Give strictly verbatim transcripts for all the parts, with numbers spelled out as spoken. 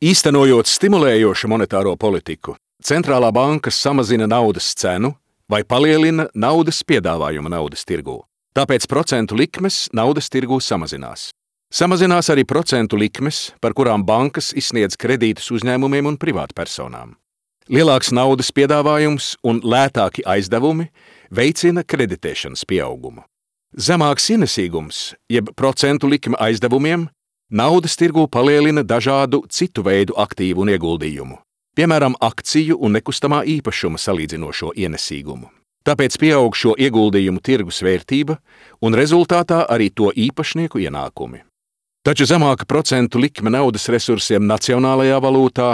Īstenojot stimulējošu monetāro politiku, centrālā banka samazina naudas cenu vai palielina naudas piedāvājumu naudas tirgū. Tāpēc procentu likmes naudas tirgū samazinās. Samazinās arī procentu likmes, par kurām bankas izsniedz kredītus uzņēmumiem un privātpersonām. Lielāks naudas piedāvājums un lētāki aizdevumi veicina kreditēšanas pieaugumu. Zemāks ienesīgums, jeb procentu likme aizdevumiem, naudas tirgū palielina dažādu citu veidu aktīvu un ieguldījumu, piemēram, akciju un nekustamā īpašuma salīdzinošo ienesīgumu. Tāpēc pieaug šo ieguldījumu tirgus vērtība un rezultātā arī to īpašnieku ienākumi. Taču zemāka procentu likme naudas resursiem nacionālajā valūtā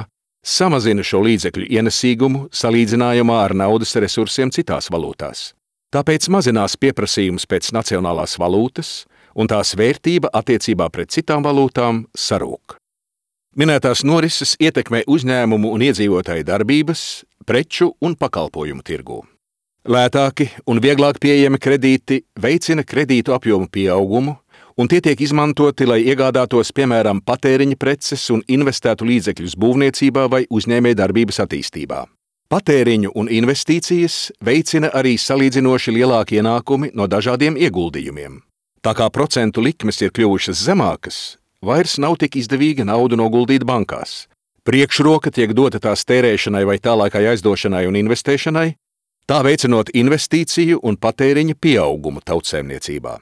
samazina šo līdzekļu ienesīgumu salīdzinājumā ar naudas resursiem citās valūtās. Tāpēc mazinās pieprasījums pēc nacionālās valūtas, un tās vērtība attiecībā pret citām valūtām sarūk. Minētās norises ietekmē uzņēmumu un iedzīvotāju darbības, preču un pakalpojumu tirgū. Lētāki un vieglāk pieejami kredīti veicina kredītu apjomu pieaugumu, un tie tiek izmantoti, lai iegādātos, piemēram, patēriņa preces un investētu līdzekļus būvniecībā vai uzņēmējdarbības attīstībā. Patēriņu un investīcijas veicina arī salīdzinoši lielāki ienākumi no dažādiem ieguldījumiem. Tā kā procentu likmes ir kļuvušas zemākas, vairs nav tik izdevīgi naudu noguldīt bankās. Priekšroka tiek dota tās tērēšanai vai tālākai aizdošanai un investēšanai, tā veicinot investīciju un patēriņa pieaugumu tautsēmniecībā.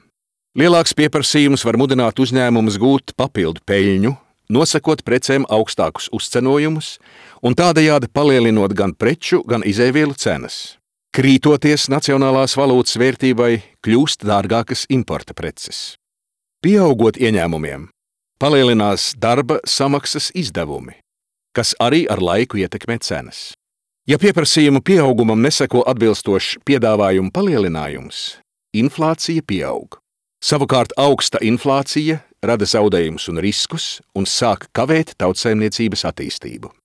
Lielāks pieprasījums var mudināt uzņēmumus gūt papildu peļņu, nosakot precēm augstākus uzcenojumus un tādējādi palielinot gan preču, gan izēvielu cenas. Krītoties nacionālās valūtas vērtībai, kļūst dārgākas importa preces. Pieaugot ieņēmumiem, palielinās darba samaksas izdevumi, kas arī ar laiku ietekmē cenas. Ja pieprasījuma pieaugumam neseko atbilstošs piedāvājuma palielinājums, inflācija pieaug. Savukārt augsta inflācija rada zaudējumus un riskus un sāk kavēt tautsēmniecības attīstību.